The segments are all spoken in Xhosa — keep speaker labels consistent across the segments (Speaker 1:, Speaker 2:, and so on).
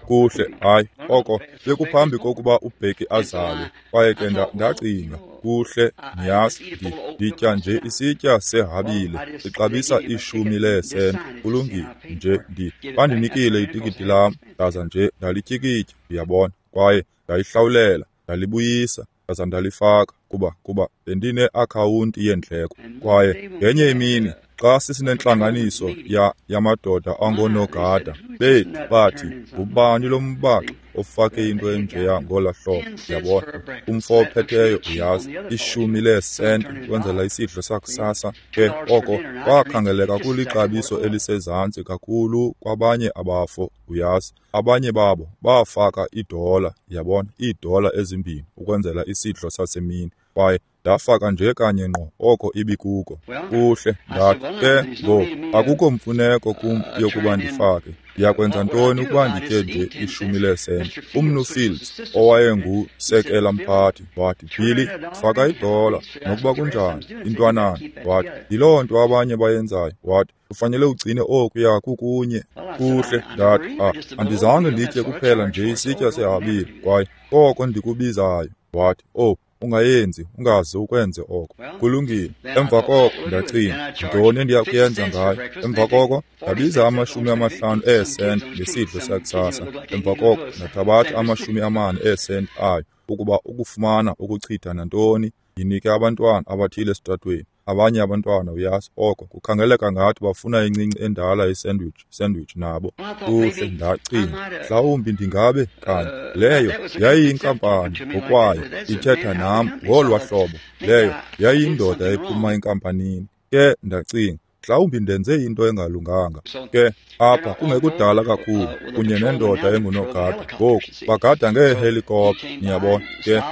Speaker 1: Kuhle, hayi, oko bekuphambi kokuba uBheki azalwe. Kwaye ke ndacinga, kuhle, niyazi, nditya nje isitya sehabile, sixabisa 10 leesenti. Kulungile, nje bandinikile itikiti lam, ndaza nje ndalityikitya, uyabona, kwaye ndayihlawulela, ndalibuyisa, ndaza ndalifaka, kuba bendine-akhawunti yeendleko. Kwaye ngenye imini, xa sisinentlanganiso yamadoda angoonogada bethu, bathi, ngubani lo mbaxi ofake into enjeya ngola hlobo? Uyabona, umfo ophetheyo, uyazi, 10 leesenti kwenzela isidlo sakusasa. Ke oko kwakhangeleka kulixabiso elisezantsi kakhulu kwabanye abafo, uyazi. Abanye babo bafaka $1, uyabona, $2 ukwenzela isidlo sasemini. Kwaye ndafaka nje kanye ngqo oko ibikuko. Kuhle, ndathi ke ngoku akukho mfuneko kum yokuba ndifake. Ndiyakwenza ntoni ukuba nditye nje 10 leesenti? Umnu Fields, owayengusekela mphathi, wathi, Billy, faka $1, nokuba kunjani, intwanana. Wathi, yiloo nto abanye bayenzayo. Wathi, ufanele ugcine okuya kukunye. Kuhle, ndathi, andizange nditye kuphela nje isitya sehabile, kwaye koko ndikubizayo. Wathi, oh, ungayenzi, ungaze ukwenze oko. Kulungile. Emva koko ndacinga, ntoni endiya kuyenza ngayo? Emva koko ndabiza 50 eesenti ngesidlo sakusasa. Emva koko ndathabatha 40 eesenti ayo ukuba ukufumana ukuchitha nantoni, yinike abantwana abathile esitratweni. Abanye abantwana, uyazi, oko kukhangeleka ngathi bafuna incinci endala isandwich nabo. Kuhle, ndacinga, mhlawumbi ndingabe kanye leyo yayiyinkampani ngokwayo ithetha nam ngolwa hlobo. Leyo yayiyindoda ephuma enkampanini. Ke ndacinga, mhlawumbi ndenze into engalunganga. Ke apha kungekudala kakhulu kunye nendoda engunogada, ngoku bagada ngeehelikopta, niyabona. Ke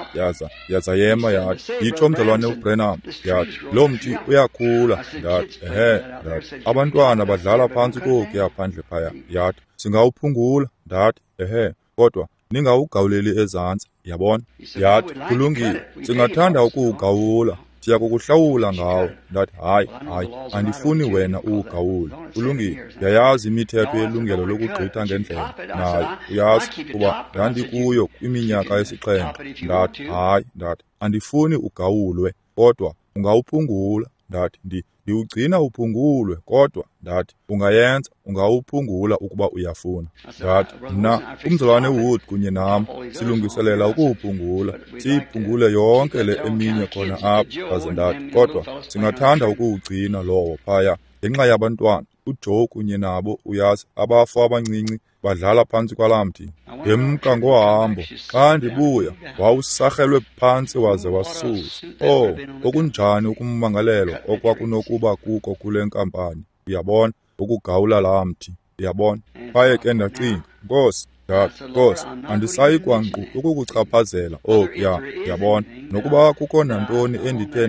Speaker 1: yaza yema yathi, yitsho mzalwane uBrenham, yathi, lo mthi uyakhula. Ndathi, ehe. Ndathi, abantwana badlala phantsi kokuya phandle phaya. Yathi, singawuphungula. Ndathi, ehe, kodwa ningawugawuleli ezantsi, yabona. Yathi, kulungile, singathanda ukuwugawula, siya kukuhlawula ngawo. Ndathi, hayi, hayi, andifuni wena uwugawule. Kulungile, ndiyayazi imithetho yelungelo lokugqitha ngendlela nayo, uyazi, kuba ndandikuyo kwiminyaka 7. Ndathi, hayi, ndathi, andifuni ugawulwe, kodwa ungawuphungula. Ndathi, ndiwugcina uphungulwe, kodwa ndathi, ungayenza, ungawuphungula ukuba uyafuna. Ndathi, mna, umzalwane Wood kunye nam silungiselela ukuwuphungula, siyiphungule yonke le eminye khona apha. Ndaze ndathi, kodwa singathanda ukuwugcina lowo phaya ngenxa yabantwana, uJoe kunye nabo, uyazi, abafo abancinci badlala phantsi kwalaa mthi. Ndemka ngohambo, xa ndibuya wawusarhelwe phantsi waze wasusa. Oh, okunjani ukummangalelwa okwakunokuba kuko kule nkampani, uyabona, ukugawula laa mthi, uyabona. Kwaye ke ndacinga, Nkosi, ndathi, Nkosi, andisayi kwankqu ukukuchaphazela okuya, uyabona, nokuba kukho nantoni endithe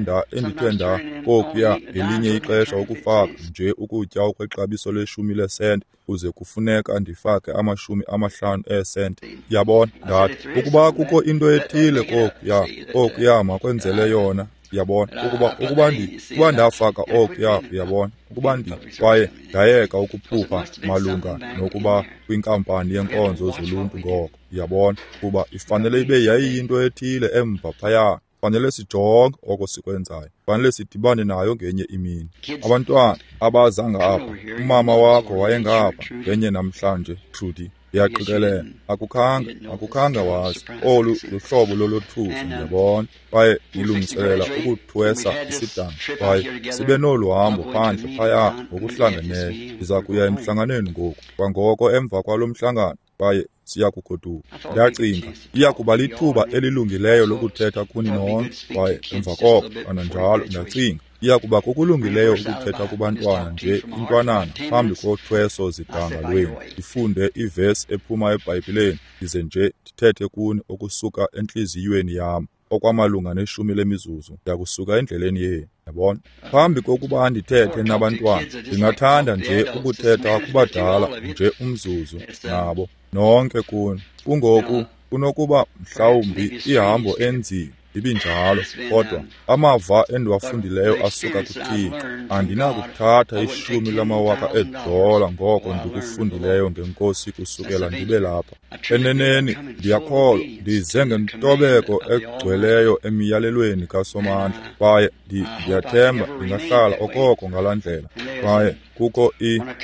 Speaker 1: nda kokuya ngelinye ixesha ukufaka nje ukutya okwexabiso le-10 leesenti, kuze kufuneka ndifake 50 eesenti. Yabona, ndathi, ukuba kukho into ethile kokuya, okuya makwenzele yona, uyabona, ukuba ndafaka okuya, uyabona, ukuba kwaye ndayeka ukuphupha malunga nokuba kwinkampani yenkonzo zoluntu ngoko, uyabona, kuba ifanele ibe yayiyinto ethile emva phaya. Fanele sijonge oko sikwenzayo, fanele sidibane nayo ngenye imini. Abantwana abaza ngapha, umama wakho wayengapha ngenye namhlanje, Trudy, ndiyaqikelela akukhange wazi olu luhlobo lolothuso, ndiyabona. Kwaye nilungiselela ukuthwesa isidanga, kwaye sibe nolu hambo phandle phaya ngokuhlangeneyo. Ndiza kuya emhlanganweni ngoku, kwangoko emva kwalo mhlangano, kwaye siya kugoduka. Ndacinga, iya kuba lithuba elilungileyo lokuthetha kuni nonke. Kwaye emva koko kananjalo ndacinga, iya kuba kokulungileyo ukuthetha kubantwana nje intwanana phambi kothweso zidanga lwenu. Ndifunde ivesi ephuma eBhayibhileni, ndize nje ndithethe kuni okusuka entliziyweni yam, okwamalunga ne-10 lemizuzu, ndiyakusuka endleleni yenu, yabona. Phambi kokuba ndithethe nabantwana, ndingathanda nje ukuthetha kubadala nje umzuzu nabo nonke kuni. Kungoku kunokuba mhlawumbi ihambo enzima, Ibinjalo, kodwa amava endiwafundileyo asuka kuThixo. Andinakuthatha 10 lamawaka eedola ngoko ndikufundileyo ngeNkosi kusukela ndibe lapha. Eneneni, ndiyakholwa ndize ngentobeko egcweleyo emiyalelweni kaSomandla, kwaye ndiyathemba ndingahlala okoko ngalaa ndlela. Kwaye kukho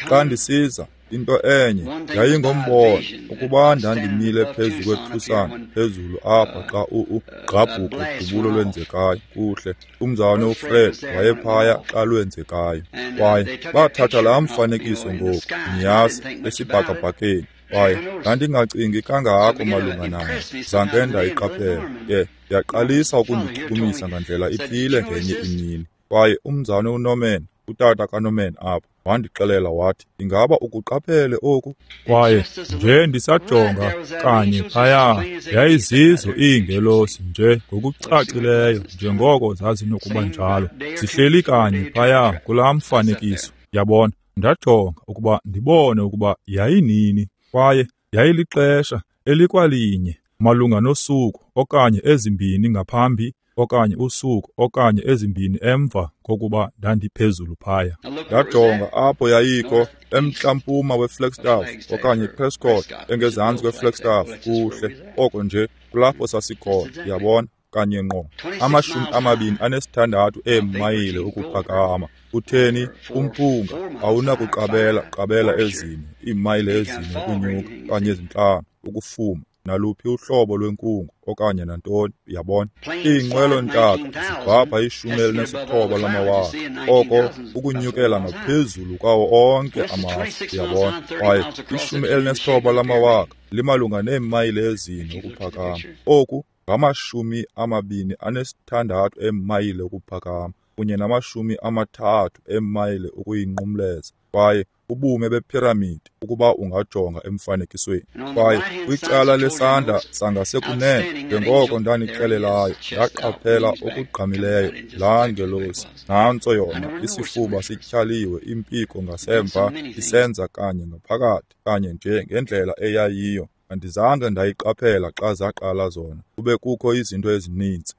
Speaker 1: xa ndisiza, into enye yayingombono ukuba ndandimile phezu kweTucson phezulu apha xa ugqabhuko dubulo lwenzekayo. Kuhle, umzalwane uFred wayephaya xa lwenzekayo, kwaye bathatha laa mfanekiso ngoku, niyazi, esibhakabhakeni. Kwaye ndandingacingi kangako malunga nayo, zange ndayiqaphela. Ke yaqalisa ukundichukumisa ngandlela ithile ngenye imini. Kwaye umzalwane uNorman, utata kaNorman apha, wandixelela wathi, ingaba ukuqaphele oku?
Speaker 2: Kwaye nje ndisajonga kanye phaya, yayizizo iingelosi nje ngokucacileyo njengoko zazinokuba njalo, zihleli kanye phaya kulaa mfanekiso. Yabona, ndajonga ukuba ndibone ukuba yayinini, kwaye yayilixesha elikwalinye malunga nosuku okanye ezimbini ngaphambi okanye usuku okanye ezimbini emva kokuba ndandiphezulu phaya.
Speaker 1: Ndajonga apho yayikho, emntla-mpuma weFlagstaff okanye Prescott, engezantsi kweFlagstaff. Kuhle, oko nje kulapho sasikhona, yabona, kanye ngqo. 26 eemayile ukuphakama. Utheni umphunga awunakuqabela qabela ezine, iimayile ezine ukunyuka okanye ezintlanu ukufuma naluphi uhlobo lwenkungu okanye nantoni, yabona. Iinqwelo-ntaka zibhabha 19 lamawaka, oko ukunyukela ngaphezulu kwawo onke amafu, yabona. Kwaye 19 lamawaka limalunga neemayile ezine ukuphakama. Oku ngama-26 eemayile ukuphakama kunye nama-30 eemayile ukuyinqumleza. Kwaye ubume bephiramidi ukuba ungajonga emfanekisweni. Kwaye kwicala lesandla sangasekunene, njengoko ndanixelelayo, ndaqaphela okugqamileyo laa ngelosi. Nantso yona, isifuba sityhaliwe, impiko ngasemva isenza kanye ngaphakathi, kanye nje ngendlela eyayiyo. Andizange ndayiqaphela xa zaqala zona, kube kukho izinto ezininzi.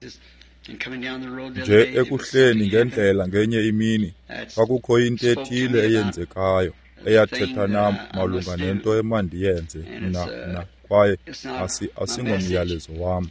Speaker 1: Nje ekuhleni ngendlela ngenye imini, kwakukho into ethile eyenzekayo eyathetha nam malunga nento emandiyenze mna, kwaye asingomyalezo wam.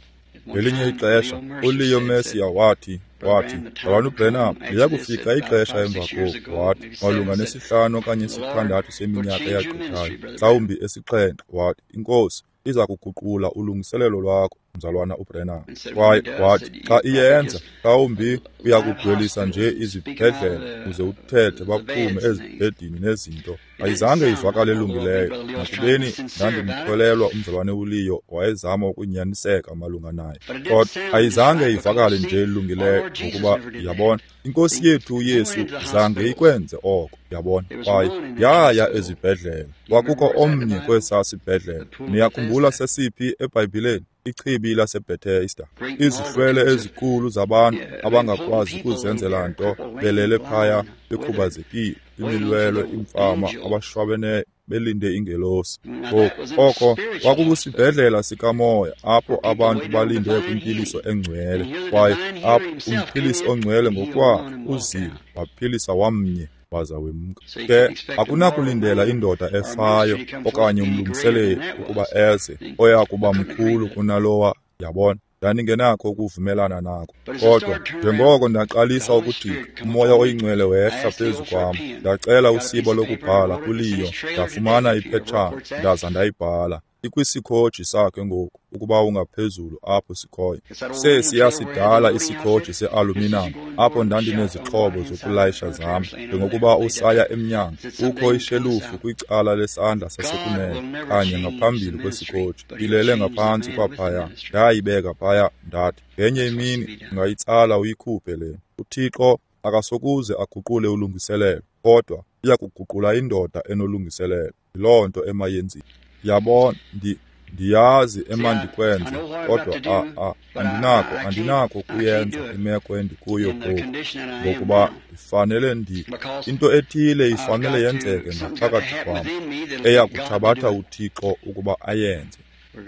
Speaker 1: Ngelinye ixesha uLeo Mercier wathi, Mzalwana uBranham, liya kufika ixesha emva koku, wathi, malunga ne-5 okanye 6 seminyaka eyagqithayo, mhlawumbi 7, wathi, iNkosi iza kuguqula ulungiselelo lwakho, mzalwana uBranham. Kwaye wathi, xa iyenza, mhlawumbi uyakudwelisa nje izibhedlela uze uthethe baphume ezibhedini nezinto. Ayizange ivakale elungileyo, nakubeni ndandimkholelwa umzalwane uLeo wayezama ukunyaniseka malunga naye. Kodwa ayizange ivakale nje elungileyo, ngokuba yabona, iNkosi yethu uYesu zange ikwenze oko, yabona. Kwaye yaya ezibhedlela, kwakukho omnye kwesaa sibhedlela. Niyakhumbula sesiphi eBhayibhileni? Ichibi laseBethesda. Izihlwele ezikhulu zabantu abangakwazi kuzenzela nto belele phaya bekhubazekile, imilwelwe, imfama, abashwabeneyo, belinde ingelosi. Ngoku oko kwakukusibhedlela sikamoya apho abantu balinde kwimpiliso engcwele, kwaye apho umphilisi ongcwele ngokwakhe uzile waphilisa wamnye waza wemka. Ke akunakulindela indoda efayo okanye umlungiseleli ukuba eze oya kuba mkhulu kunalowa, yabona. Ndandingenakho ukuvumelana nako. Kodwa njengoko ndaqalisa ukujika, uMoya oyiNgcwele wehla phezu kwam. Ndacela usiba lokubhala kuLeo, ndafumana iphetshana ndaza ndayibhala. Ikwisikhoji sakhe ngoku, ukuba ungaphezulu apho sikhoyo. Sesiya sidala isikhoji se-aluminum apho ndandinezixhobo zokulayisha zam. Njengokuba usaya emnyango, kukho ishelufu kwicala lesandla sasekunene kanye ngaphambili kwesikhoji, ilele ngaphantsi kwaphaya. Ndayibeka phaya, ndathi, ngenye imini ungayitsala uyikhuphe le. uThixo akasokuze aguqule ulungiselelo, kodwa uyakuguqula indoda enolungiselelo. Yiloo nto emayenziwe. Yabona, ndiyazi emandikwenze, kodwa andinako kuyenza imeko endikuyo ngoku, ngokuba ndifanele into ethile ifanele yenzeke ngaphakathi kwam, eya kuthabatha uThixo ukuba ayenze.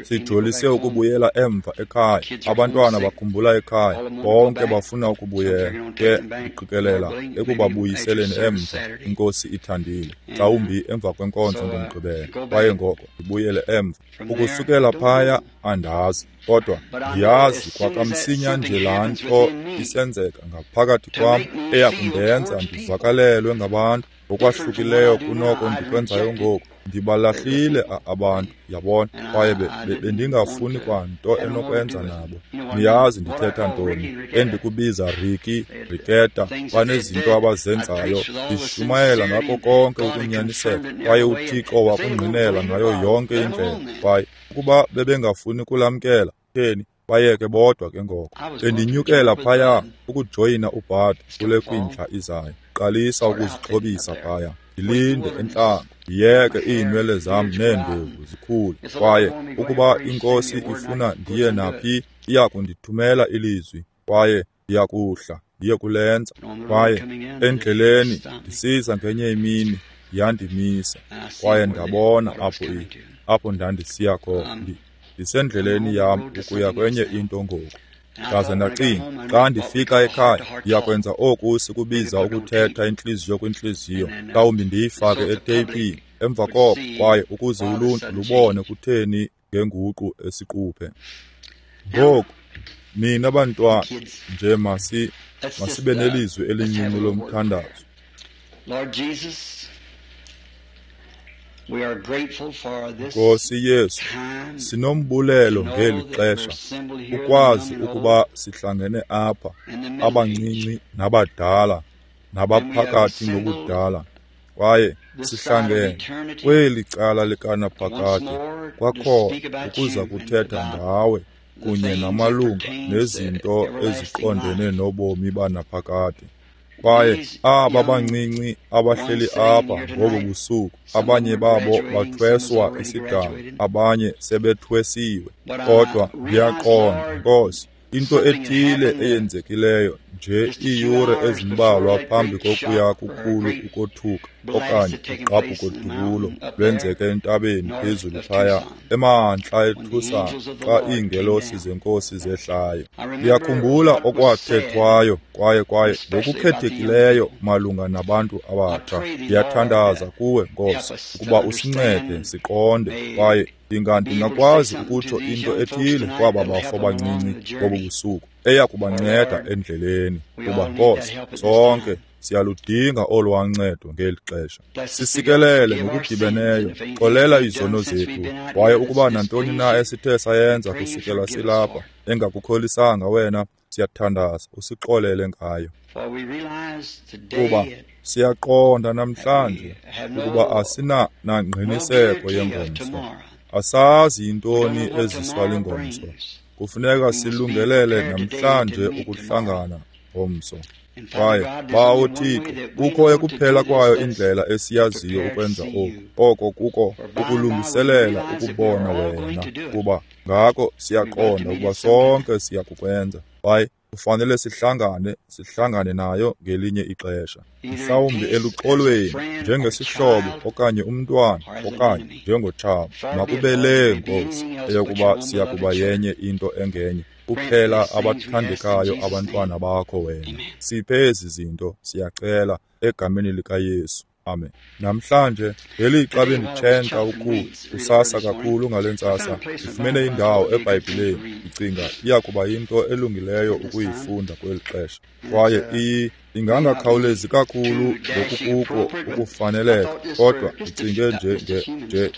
Speaker 1: Sijolise ukubuyela emva ekhaya. Abantwana bakhumbula ekhaya, bonke bafuna ukubuyela. Ke ndiqikelela ekubabuyiseleni emva, iNkosi ithandile, mhlawumbi emva kwenkonzo ngoMgqibelo. Kwaye ngoko ndibuyele emva. Ukusukela phaya andazi, kodwa ndiyazi kwakamsinya nje laa nto isenzeka ngaphakathi kwam eya kundenza ndivakalelwe ngabantu ngokwahlukileyo kunoko ndikwenzayo ngoku. Ndibalahlile abantu, yabona, kwaye bendingafuni kwanto enokwenza nabo. Niyazi ndithetha ntoni, endikubiza Ricky, Riketa, banezinto abazenzayo. Ndishumayela ngako konke ukunyaniseka, kwaye uThixo wakungqinela ngayo yonke indlela. Kwaye ukuba bebengafuni kulamkela, theni bayeke bodwa ke ngoko. Bendinyukela phaya ukujoyina uBud kule kwindla izayo. Qalisa ukuzixhobisa phaya, ndilinde entlango, ndiyeke iinwele zam neendevu zikhule. Kwaye ukuba iNkosi ifuna ndiye naphi, iya kundithumela ilizwi, kwaye ndiyakuhla ndiye kulenza. Kwaye endleleni ndisiza ngenye imini yandimisa, kwaye ndabona apho ndandisiya khona. Ndisendleleni yam ukuya kwenye into ngoku. Ndaze ndacinga, xa ndifika ekhaya ndiyakwenza oku sikubiza ukuthetha intliziyo kwintliziyo, mhlawumbi ndiyifake eteyipini emva koko, kwaye ukuze uluntu lubone kutheni ngenguqu esiquphe. Ngoku nina bantwana nje masibe nelizwi elincinci lomthandazo. Nkosi Yesu, sinombulelo ngeli xesha ukwazi ukuba sihlangene apha, abancinci nabadala nabaphakathi ngobudala, kwaye sihlangene kweli cala likanaphakade kwakhona ukuza kuthetha ngawe kunye namalunga nezinto eziqondene nobomi banaphakade. Kwaye aba bancinci abahleli apha ngobu busuku, abanye babo bathweswa isidanga, abanye sebethwesiwe. Kodwa ndiyaqonda, Nkosi, into ethile eyenzekileyo nje iiyure ezimbalwa phambi kokuya kukhulu ukothuka okanye ugqabhuko-dubulo lwenzeke entabeni phezulu phaya emantla eTucson xa iingelosi zeNkosi zehlayo. Ndiyakhumbula okwathethwayo kwaye ngokukhethekileyo malunga nabantu abatsha. Ndiyathandaza kuwe, Nkosi, ukuba usincede siqonde, kwaye ndingakwazi ukutsho into ethile kwaba bafo bancinci ngobu busuku eya kubanceda endleleni, kuba Nkosi, sonke siyaludinga olwancedo ngeli xesha. Sisikelele ngokudibeneyo, xolela izono zethu, kwaye ukuba nantoni na esithe sayenza kusukela silapha engakukholisanga wena, siyathandaza usixolele ngayo. Kuba siyaqonda namhlanje ukuba asina nangqiniseko yengomso, asazi yintoni eziswa lingomso. Kufuneka silungelele namhlanje ukuhlangana ngomso. Kwaye Bawo Thixo, kukho ekuphela kwayo indlela esiyaziyo ukwenza oku, oko kuko ukulungiselela ukubona wena, kuba ngako siyaqonda ukuba sonke siyakukwenza. Kwaye kufanele sihlangane nayo ngelinye ixesha, mhlawumbi eluxolweni njengesihlobo okanye umntwana okanye njengotshaba. Makube le, Nkosi, eyokuba siyakuba yenye into engenye kuphela abathandekayo abantwana bakho wena. Siphe ezi zinto, siyacela egameni likaYesu. Amen. Namhlanje ngelixa benditshentsha ukukhulu kusasa kakhulu ngale ntsasa, ndifumene indawo eBhayibhileni, ndicinga iya kuba yinto elungileyo ukuyifunda kweli xesha. Kwaye ingangakhawulezi kakhulu ngokukuko ukufaneleka, kodwa ndicinge nje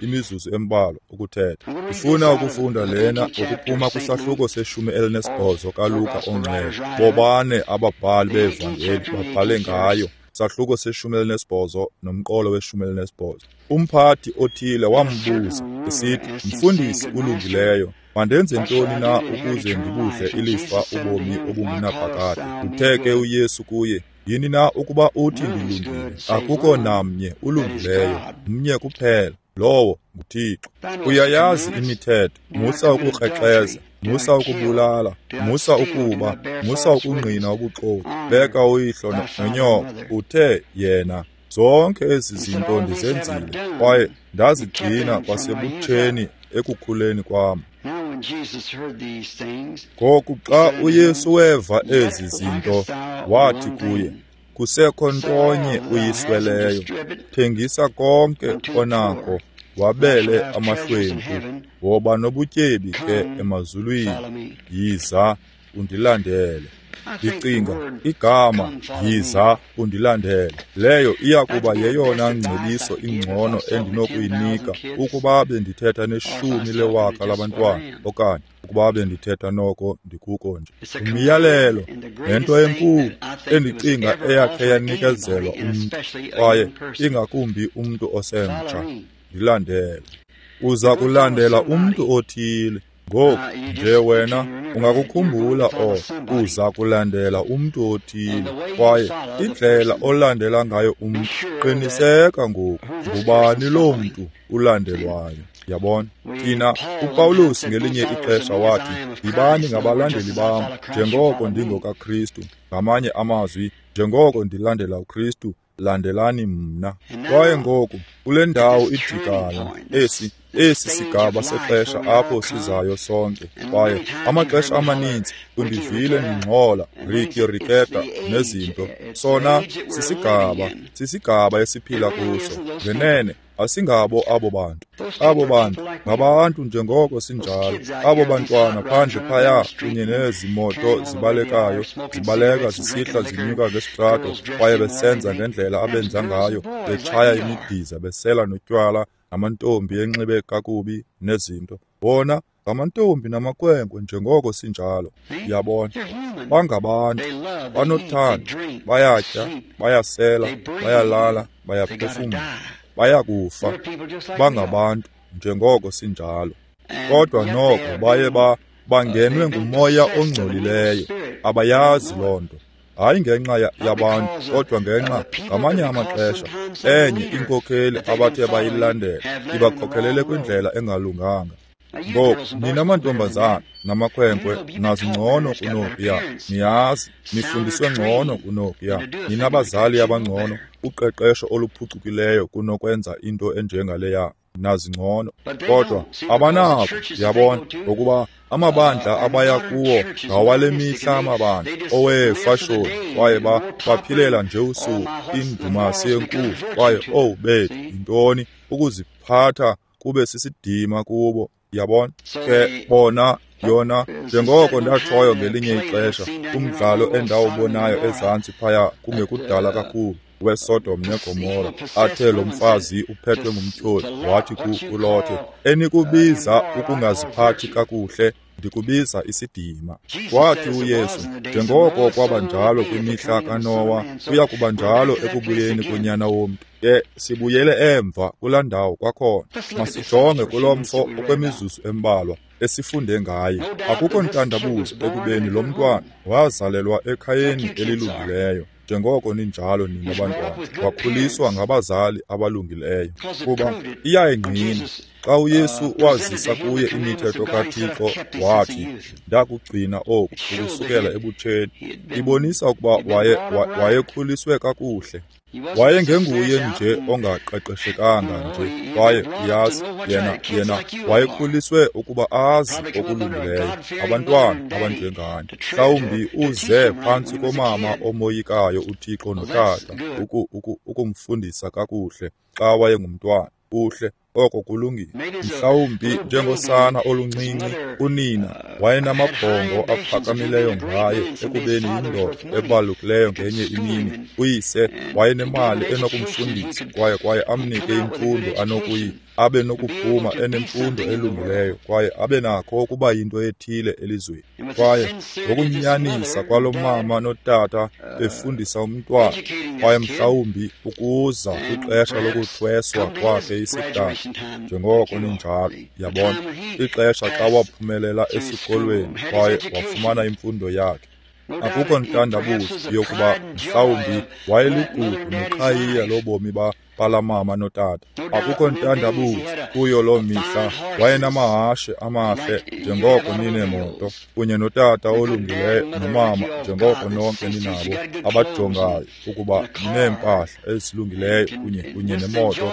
Speaker 1: imizuzu embalwa ukuthetha. Ndifuna ukufunda lena ngokuphuma kwisahluko se-18 kaLuka oNgcwele. Bobane ababhali beevangeli babhale ngayo. Sahluko se-18 nomqolo we-18. Umphathi othile wambuza esithi, "Mfundisi ulungileyo, mandenze ntoni na ukuze ndibudle ilifa ubomi obungunaphakade?" Uthe ke uYesu kuye, "Yini na ukuba uthi ndilungile? Akukho namnye ulungileyo, mnye kuphela, lowo nguThixo. Uyayazi imithetho: musa ukukrexeza, musa ukubulala, musa ukuba, musa ukungqina ubuxoki, beka uyihlo nonyoko." Uthe yena, Zonke ezi zinto ndizenzile, kwaye ndazigcina kwasebutsheni ekukhuleni kwam. Ngoku xa uYesu weva ezi zinto, wathi kuye, kusekho ntonye uyisweleyo, thengisa konke onako, wabele amahlwempu, woba nobutyebi ke emazulwini, yiza undilandele. Ndicinga igama yiza undilandele leyo iya kuba yeyona ngcebiso ingcono endinokuyinika ukuba bendithetha neshumi lewaka labantwana okanye ukuba bendithetha noko ndikuko nje. Umyalelo nento enkulu endicinga eyakhe yanikezelwa umntu, kwaye ingakumbi umntu osemtsha, ndilandele. Uza kulandela umntu othile. Ngoku nje wena ungakukhumbula oko, uza kulandela umntu othile, kwaye indlela olandela ngayo umntu, qiniseka ngoku ngubani loo mntu ulandelwayo. Yabona, thina uPawulos ngelinye ixesha wathi, yibani ngabalandeli bam njengoko ndingokaKristu. Ngamanye amazwi, njengoko ndilandela uKristu, landelani mna. Kwaye ngoku kule ndawo ijikayo, esi sigaba sexesha apho sizayo sonke, kwaye amaxesha amaninzi undivile ndingxola Ricky Ricketa nezinto. Sona sisigaba esiphila kuso. Ngenene asingabo abo bantu. Abo bantu ngabantu njengoko sinjalo. Abo bantwana phandle phaya kunye nezi moto zibalekayo, zibaleka zisihla zinyuka ngesitrato, kwaye besenza ngendlela abenza ngayo, betshaya imidiza, besela notywala, namantombi enxibe kakubi nezinto. Bona ngamantombi namakhwenkwe njengoko sinjalo. Yabona, bangabantu, banothando, bayatya, bayasela, bayalala, bayaphefumla, bayakufa. Bangabantu njengoko sinjalo. Kodwa noko baye bangenwe ngumoya ongcolileyo. Abayazi loo nto. Hayi ngenxa yabantu, kodwa ngenxa ngamanye amaxesha enye inkokheli abathe bayilandela ibakhokhelele kwindlela engalunganga. Ngoku nina mantombazana namakhwenkwe nazi ngcono kunokuya, niyazi nifundiswe ngcono kunokuya, ninabazali abangcono, uqeqesho oluphucukileyo kunokwenza into enjengaleya, nazi ngcono. Kodwa abanako, yabona, ngokuba amabandla abaya kuwo ngawale mihla amabandla oweefashoni, kwaye baphilela nje usuku indumasi enkulu, kwaye owu bethu, yintoni ukuziphatha kube sisidima kubo. Yabona ke bona yona, njengoko ndatshoyo ngelinye ixesha kumdlalo endawubonayo ezantsi phaya kungekudala kakhulu weSodom neGomora, athe lo mfazi uphethwe ngumtyholi wathi kuLothe, enikubiza ukungaziphathi kakuhle, ndikubiza isidima. Wathi uYesu, njengoko kwaba njalo kwimihla kaNowa, kuya kuba njalo ekubuyeni konyana womntu. Ke sibuyele emva kulaa ndawo kwakhona. Masijonge kulo mfo okwemizuzu embalwa esifunde ngaye. Akukho ntandabuzo ekubeni lo mntwana wazalelwa ekhayeni elilungileyo, njengoko ninjalo nina bantwana. Wakhuliswa ngabazali abalungileyo, kuba iyayingqina xa uYesu wazisa kuye imithetho kaThixo, wathi, ndakugcina oku ukusukela ebutsheni. Ibonisa ukuba wayekhuliswe kakuhle. Wayengenguye nje ongaqeqeshekanga nje, kwaye uyazi yena wayekhuliswe ukuba azi okulungileyo. Abantwana abanjengani, mhlawumbi uze phantsi komama omoyikayo uThixo notata ukumfundisa kakuhle xa wayengumntwana. Kuhle, oko kulungile. Mhlawumbi njengosana oluncinci, unina wayenamabhongo aphakamileyo ngaye ekubeni yindoda ebalulekileyo ngenye imini. Uyise wayenemali enokumfundisa kwaye amnike imfundo anokuyi abe nokuphuma enemfundo elungileyo kwaye abe nakho ukuba yinto ethile elizweni. Kwaye ngokunyanisa kwalo mama notata befundisa umntwana, kwaye mhlawumbi ukuza kwixesha lokuthweswa kwakhe isidanga, njengoko ninjalo, yabona, ixesha xa waphumelela esikolweni kwaye wafumana imfundo yakhe. Akukho ntandabuzo yokuba mhlawumbi wayeligugu neqhayiya lobomi balamama notata. Akukho ntandabuzo kuyo loo mihla wayenamahashe amahle njengoko nineemoto, kunye notata olungileyo nomama njengoko nonke ninabo abajongayo ukuba nineempahla ezilungileyo kunye nemoto,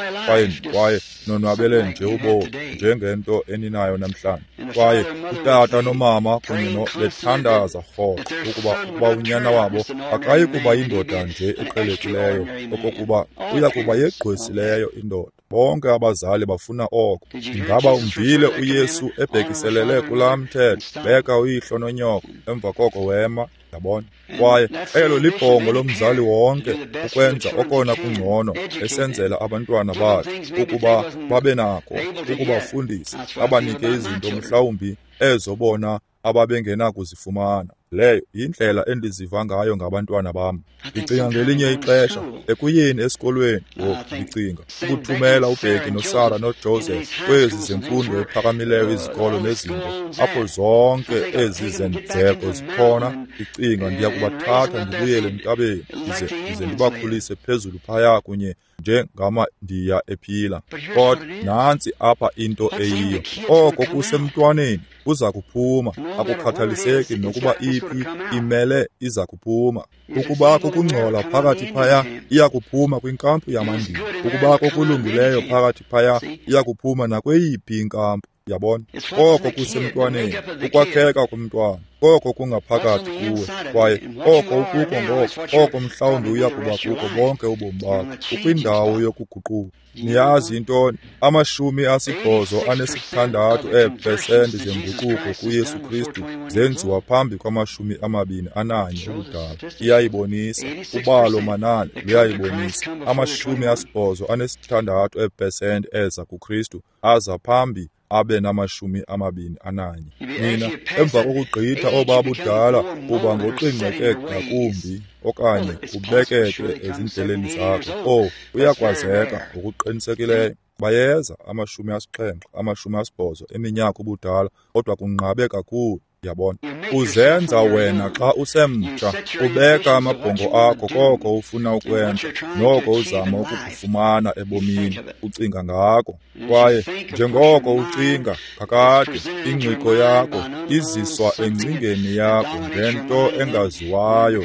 Speaker 1: kwaye nonwabele nje ubomi njengento eninayo namhlanje. Kwaye utata nomama kunye bethandaza rhoqo ukuba unyana wabo akayi kuba yindoda nje eqhelekileyo, okokuba uya kuba yegqwesileyo indoda. Bonke abazali bafuna oko. Ingaba umvile uYesu ebhekiselele kulaa mthetho, beka uyihlo nonyoko, emva koko wema? Yabona? Kwaye elo libhongo lomzali wonke, ukwenza okona kungcono esenzela abantwana bakhe ukuba babe nako ukubafundisa, abanike izinto mhlawumbi ezo bona ababengenakuzifumana. Leyo yindlela endiziva ngayo ngabantwana bam. Ndicinga ngelinye ixesha ekuyeni esikolweni, ngoku ndicinga ukuthumela uBheki noSara noJoseph kwezi zemfundo ephakamileyo izikolo nezinto apho zonke ezi zenzeko zikhona. Ndicinga ndiya kubathatha ndibuyele entabeni ndize ndibakhulise phezulu phaya kunye njengamaNdiya ephila. Kodwa nantsi apha into eyiyo, oko kusemntwaneni kuza kuphuma, akukhathaliseki nokuba iphi, imele iza kuphuma. Ukubakho kungcola phakathi phaya, iya kuphuma kwinkampu yamaNdiya. Ukubakho kulungileyo phakathi phaya, iya kuphuma nakweyiphi inkampu. Yabona? Koko kusemntwaneni, ukwakheka komntwana, koko kungaphakathi kuwe, kwaye oko ukuko ngoko, oko mhlawumbi uya kuba kuko bonke ubomi bakho, ukwindawo yokuguquka. Niyazi intoni? 86 eepesenti zenguquko kuYesu Kristu zenziwa phambi kwa-21 ubudala. Iyayibonisa, ubalo manani luyayibonisa. 86 eepesenti eza kuKristu aza phambi abe nama-21. Nina, emva kokugqitha obabudala, uba ngoqingqeke ngakumbi okanye ubekeke ezindleleni zakho. Uyakwazeka ngokuqinisekileyo. Bayeza 70, 80 eminyaka ubudala, kodwa kunqabe kakhulu. Yabona? Uzenza wena xa usemtsha, ubeka amabhongo akho koko ufuna ukwenza noko uzama ukukufumana ebomini, ucinga ngako. Kwaye njengoko ucinga kakade, ingqiqo yakho iziswa engcingeni yakho ngento engaziwayo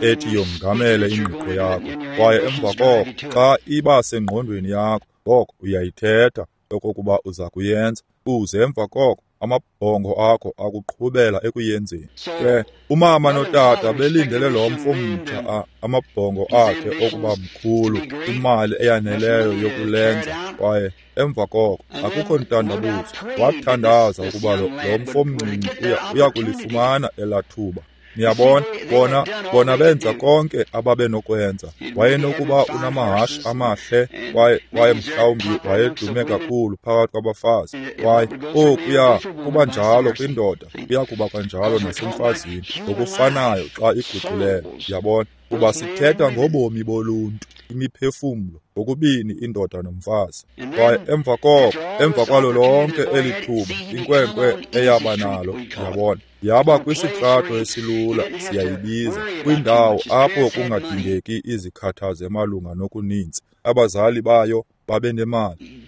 Speaker 1: ethi yongamele ingqiqo yakho. Kwaye emva koko xa iba sengqondweni yakho, ngoko uyayithetha okokuba uza kuyenza, uze emva koko amabhongo akho akuqhubela ekuyenzeni. Ke umama notata belindele lo mfo mtsha amabhongo akhe okuba mkhulu, imali eyaneleyo yokulenza. Kwaye emva koko akukho ntandabuzo, wathandaza ukuba lo mfo mncinci uya kulifumana elaa thuba. Niyabona, bona benza konke ababenokwenza. Wayenokuba unamahashe amahle, kwaye mhlawumbi wayedume kakhulu phakathi kwabafazi. Kwaye okuya kuba njalo kwindoda, kuya kuba kanjalo nasemfazini ngokufanayo xa iguqulele. Yabona, kuba sithetha ngobomi boluntu, imiphefumlo, ngokubini indoda nomfazi. Kwaye emva koko, emva kwalo lonke eli thuba inkwenkwe eyaba nalo, yabona, yaba kwisitrato esilula, siyayibiza, kwindawo apho kungadingeki izikhathazo malunga nokuninzi. Abazali bayo babenemali.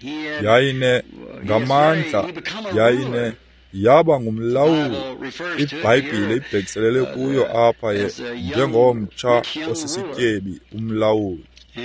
Speaker 1: Yayine ngamandla, yayine yaba ngumlawuli. IBhayibhile ibhekiselele kuyo apha njengomtsha osisityebi, umlawuli.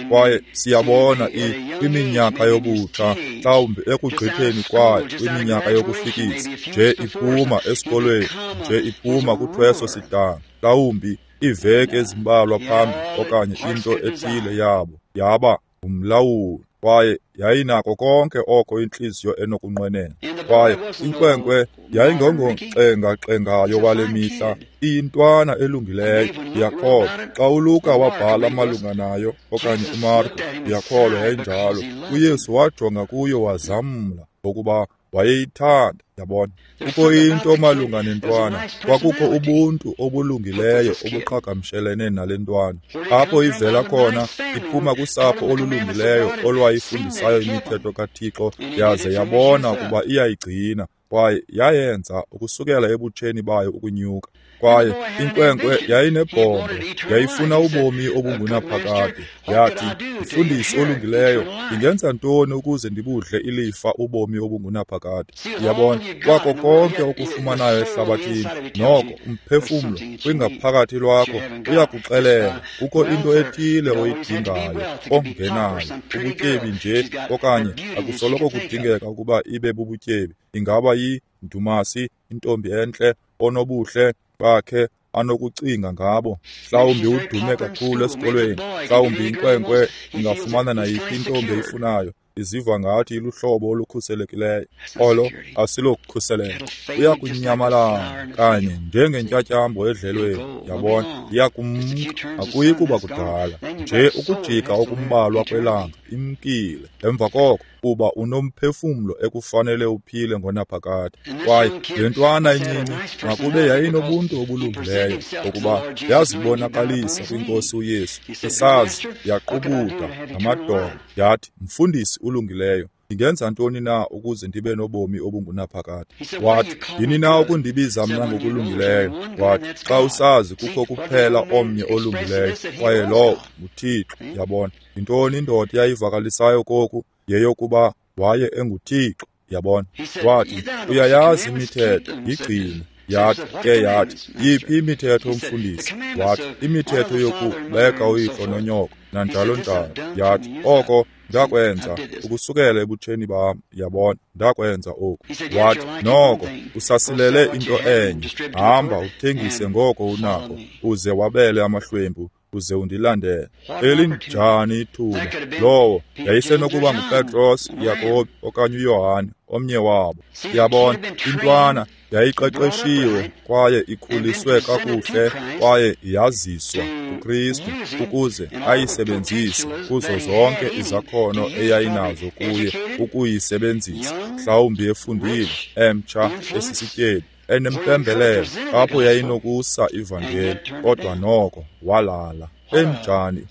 Speaker 1: Kwaye siyabona kwiminyaka yobutsha, mhlawumbi ekugqitheni kwayo kwiminyaka yokufikisa, nje iphuma esikolweni, nje iphuma kuthweso sidanga, mhlawumbi iiveki ezimbalwa phambi okanye into ethile yabo, yaba ngumlawuli. Kwaye yayinako konke oko intliziyo enokunqwenela. Kwaye inkwenkwe yayingongoxengaxengayo wale mihla, iyintwana elungileyo. Ndiyakholwa xa uLuka wabhala malunga nayo, okanye uMarko, ndiyakholwa yayinjalo. uYesu wajonga kuyo wazamla, ngokuba wayeyithanda. Yabona, kukho into malunga nentwana, kwakukho ubuntu obulungileyo obuqhagamshelene nale ntwana. Apho ivela khona, iphuma kusapho olulungileyo olwayifundisayo imithetho kaThixo, yaze yabona ukuba iyayigcina. Kwaye yayenza ukusukela ebutsheni bayo ukunyuka. Kwaye inkwenkwe yayinebhongo, yayifuna ubomi obungunaphakade. Yathi, "Mfundisi olungileyo, ndingenza ntoni ukuze ndibudle ilifa ubomi obungunaphakade?" Yabona, kwako konke okufumanayo ehlabathini, noko umphefumlo kwingaphakathi lwakho uyakuxelela kukho into ethile oyidingayo ongenayo, ubutyebi nje, okanye akusoloko kudingeka ukuba ibe bubutyebi. Ingaba yindumasi, intombi entle, onobuhle bakhe anokucinga ngabo. Mhlawumbi udume kakhulu esikolweni, mhlawumbi inkwenkwe ingafumana nayiphi intombi eyifunayo, iziva ngathi iluhlobo olukhuselekileyo. Olo asilokukhuseleko. Uyakunyamalala kanye njengentyatyambo edlelweni, yabona, iyakumka, akuyi kuba kudala nje ukujika okumbalwa kwelanga imkile. Emva koko uba unomphefumlo ekufanele uphile ngonaphakade. Kwaye le ntwana incinci makube yayinobuntu obulungileyo, ngokuba yazibonakalisa kwinkosi uYesu, isazi yaqubuda ngamadolo, yathi, "Mfundisi ulungileyo, ndingenza ntoni na ukuze ndibe nobomi obungunaphakade?" Wathi, "Yini na ukundibiza mna ngokulungileyo?" Wathi, "Xa usazi kukho kuphela omnye olungileyo, kwaye lowo nguThixo." Yabona, yintoni indoda eyayivakalisayo koku? Yeyokuba waye enguThixo. Yabona, wathi, "Uyayazi imithetho, yigcine." Yathi ke, yathi, "Yiphi imithetho, mfundisi?" Wathi, "Imithetho yokubeka uyihlo nonyoko, nanjalo njalo." Yathi, "Oko ndakwenza ukusukela ebutsheni bam." Yabona, ndakwenza oku. Wathi, "Noko usasilele into enye. Hamba uthengise ngoko unako, uze wabele amahlwempu, uze undilandele." Elinjani ithuba! Lowo yayisenokuba nguPetros, Yakobi okanye uYohane, omnye wabo. Yabona, intwana yayiqeqeshiwe kwaye ikhuliswe kakuhle kwaye yaziswa kuKristu ukuze ayisebenzise kuzo zonke izakhono eyayinazo kuye ukuyisebenzisa, mhlawumbi efundile, emtsha, esisityebi, enempembelelo apho yayinokusa ivangeli, kodwa noko walala. Enjani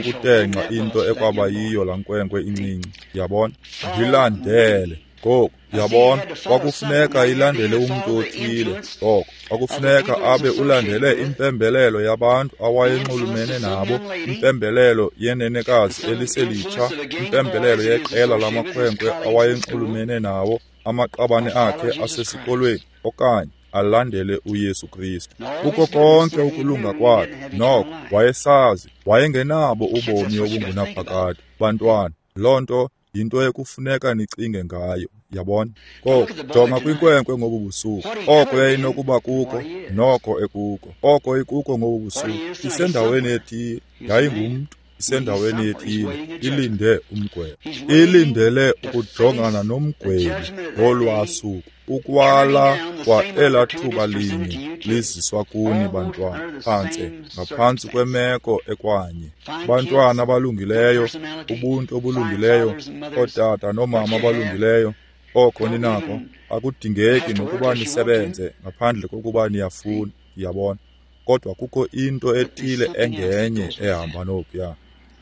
Speaker 1: ukutenxa into ekwaba yiyo laa nkwenkwe incinci. Yabona, ndilandele. Ngoku, yabona, kwakufuneka ilandele umntu othile. Ngoko kwakufuneka abe ulandele impembelelo yabantu awayenxulumene nabo, impembelelo yenenekazi eliselitsha, impembelelo yeqela lamakhwenkwe awayenxulumene nawo, amaqabane akhe asesikolweni, okanye alandele uYesu Kristu. Kuko konke ukulunga kwakhe, noko wayesazi wayengenabo ubomi obungunaphakade. Bantwana, loo nto yinto ekufuneka nicinge ngayo. Yabona, koko jonga kwinkwenkwe ngobu busuku, oko yayinokuba kuko, noko ekuko, oko ikuko ngobu busuku. Isendaweni ethile, yayingumntu, isendaweni ethile, ilinde umgwebo, ilindele ukujongana nomgwebi ngolwaa suku. Ukwala kwa elaa thuba linye liziswa kuni bantwana, phantse ngaphantsi kwemeko ekwanye. Bantwana abalungileyo, ubuntu obulungileyo, ootata noomama abalungileyo, oko ninako akudingeki nokuba nisebenze ngaphandle kokuba niyafuna. Yabona, kodwa kukho into ethile engenye ehamba nokuya.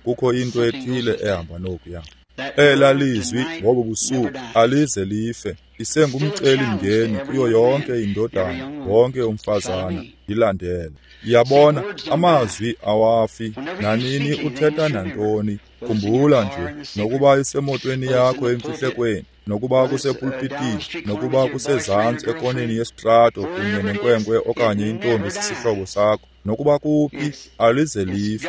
Speaker 1: Kukho into ethile ehamba nokuya. Elaa lizwi ngobo busuku alize life, isengumcelimngeni kuyo yonke indodana, wonke umfazana, ilandele. Yabona, amazwi awafi. Nanini uthetha nantoni, khumbula nje, nokuba isemotweni yakho emfihlekweni, nokuba kusepulpitini, nokuba kusezantsi ekoneni yesitrato kunye nenkwenkwe okanye intombi sisihlobo sakho, nokuba kuphi, alize life,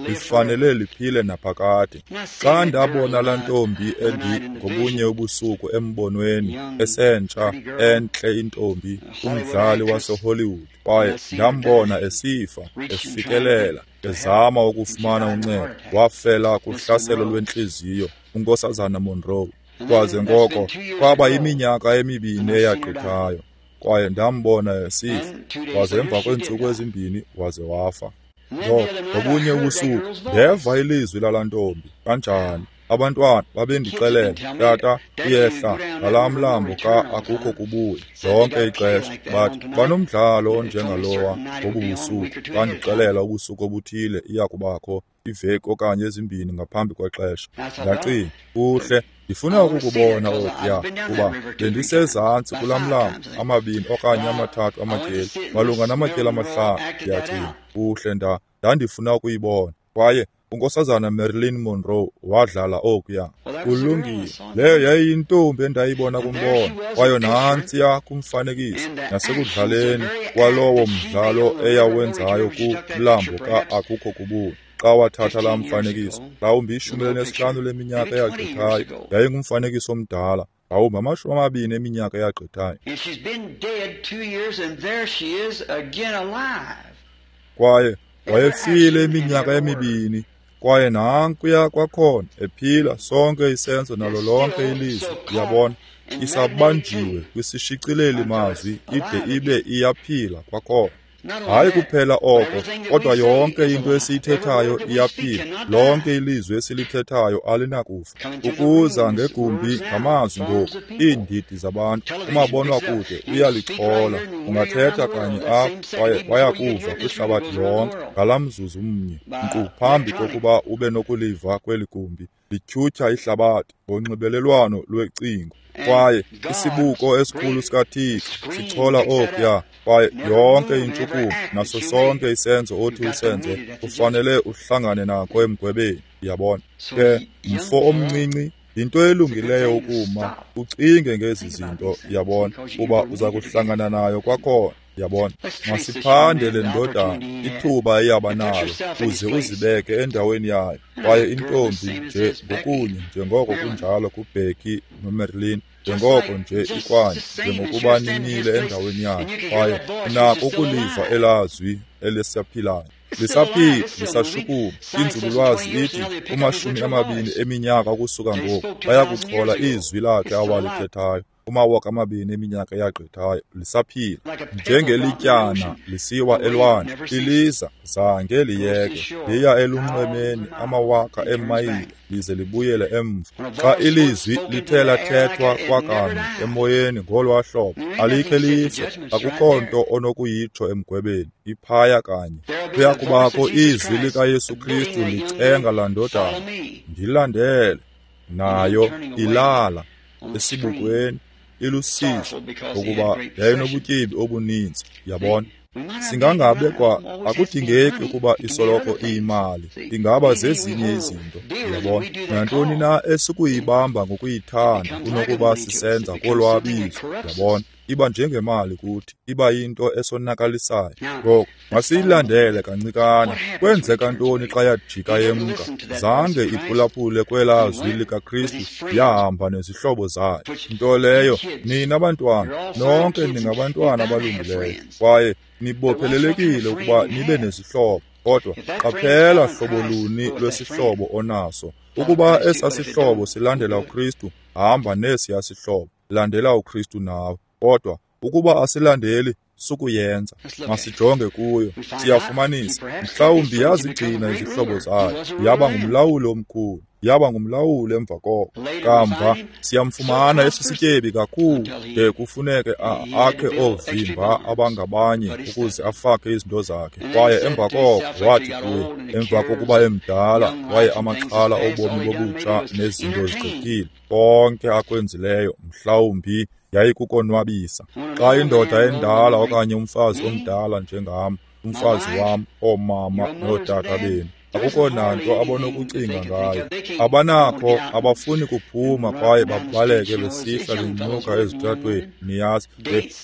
Speaker 1: lifanele liphile naphakade. Xa ndabona laa ntombi ngobunye ubusuku embonweni, esentsha, entle intombi, umdlali waseHollywood, kwaye ndambona esifa, efikelela, ezama ukufumana uncedo, wafela kuhlaselo lwentliziyo, uNkosazana Monroe. Kwaze ngoko kwaba yiminyaka emibini eyagqithayo, kwaye ndambona esifa, waze emva kweentsuku ezimbini waze wafa. Ngoko ngobunye ubusuku ndeva ilizwi lalaa ntombi. Kanjani? Abantwana babendixelela, "Tata, uyehla ngalaa mlambo xa akukho kubuya." Lonke ixesha bathi banomdlalo onjengalowa ngobu busuku. Bandixelela ubusuku obuthile iya kubakho iveki okanye ezimbini ngaphambi kwexesha. Ndacinga, kuhle, Ndifuna ukukubona okuya, kuba bendisezantsi kulaa mlambo 2 okanye 3 amatyeli, malunga namatyeli 5, ndiyacinga. Kuhle, ndandifuna ukuyibona. Kwaye uNkosazana Marilyn Monroe wadlala okuya. Kulungile, leyo yayiyintombi endayibona kumbono, kwaye nantsiya kumfanekiso nasekudlaleni kwalowo mdlalo eyawenzayo kumlambo ka-Akukho Kubuni. Xa wathatha laa mfanekiso, mhlawumbi 15 leminyaka eyagqithayo, yayingumfanekiso omdala, mhlawumbi 20 eminyaka eyagqithayo. Kwaye wayefile iminyaka 2, kwaye nankuya kwakhona ephila, sonke isenzo nalo lonke ilizwi, uyabona, isabanjiwe kwisishicileli mazwi ide ibe iyaphila kwakhona. Hayi kuphela oko, kodwa yonke into esiyithethayo iyaphila. Lonke ilizwi esilithethayo alinakufa. Ukuza ngegumbi ngamazwi ngoku, iindidi zabantu, umabonwakude uyalichola. Ungathetha kanye apha kwaye bayakuva kwihlabathi lonke ngalaa mzuzu mnye, nkqu phambi kokuba ube nokuliva kweli gumbi. Lityhutyha ihlabathi ngonxibelelwano lwecingo. Kwaye isibuko esikhulu sikaThixo sichola okuya, kwaye yonke intshukumo naso sonke isenzo othi usenze ufanele uhlangane nako emgwebeni, uyabona. Ke mfo omncinci, yinto elungileyo ukuma ucinge ngezi zinto, uyabona, kuba uza kuhlangana nayo kwakhona. Yabona, masiphande le ndodana ithuba eyaba nalo, uze uzibeke endaweni yayo. Kwaye intombi nje ngokunye njengoko kunjalo kuBecky noMarilyn, njengoko nje ikwanye njengokuba nimile endaweni yayo, kwaye unako ukuliva elazwi elisaphilayo. Lisaphila, lisashukuma. Inzululwazi ithi 20 eminyaka ukusuka ngoku bayakuchola izwi lakhe awalithethayo. 2000 eminyaka eyagqithayo, lisaphila njengelityana lisiwa elwandle. Iliza zange liyeke, liya elunxwemeni amawaka eemayile lize libuyele emva. Xa ilizwi lithe lathethwa kwakanye emoyeni ngolwaa hlobo, alikhe life. Akukho nto onokuyitsho emgwebeni, iphaya kanye. Kuya kubakho izwi likaYesu Kristu licenga laa ndodana, ndilandele. Nayo ilala esibukweni, ilusizi ngokuba yayinobutyebi obuninzi, yabona. Singangabe kwa akudingeki ukuba isoloko iyimali, ingaba zezinye izinto, yabona. Nantoni na esukuyibamba ngokuyithanda kunokuba sisenza kolwabizo, yabona. Iba njengemali kuthi, iba yinto esonakalisayo. Ngoku masiyilandele kancikana. Kwenzeka ntoni xa yajika yemka? Zange iphulaphule kwelaa zwi likaKristu, yahamba nezihlobo zayo. Nto leyo, nina bantwana, nonke ningabantwana abalungileyo, kwaye nibophelelekile ukuba nibe nezihlobo. Kodwa qaphela hlobo luni lwesihlobo onaso. Ukuba esaa sihlobo silandela uKristu, hamba nesiya sihlobo, landela uKristu nawe. Kodwa ukuba asilandeli, sukuyenza. Masijonge kuyo, siyafumanisa mhlawumbi yazigcina izihlobo zayo, yaba ngumlawuli omkhulu, yaba ngumlawuli emva koko. Kamva siyamfumana esisityebi kakhulu de kufuneke akhe oovimba abangabanye ukuze afake izinto zakhe. Kwaye emva koko wathi kuye, emva kokuba emdala kwaye amaxhala obomi bobutsha nezinto zigqithile, konke akwenzileyo mhlawumbi yayikukonwabisa. Xa indoda endala okanye umfazi omdala njengam, umfazi wam, oomama nootata benu, akukho nanto abonokucinga ngayo. Abanakho, abafuni kuphuma kwaye babaleke besihla benyuka ezitratweni, niyazi,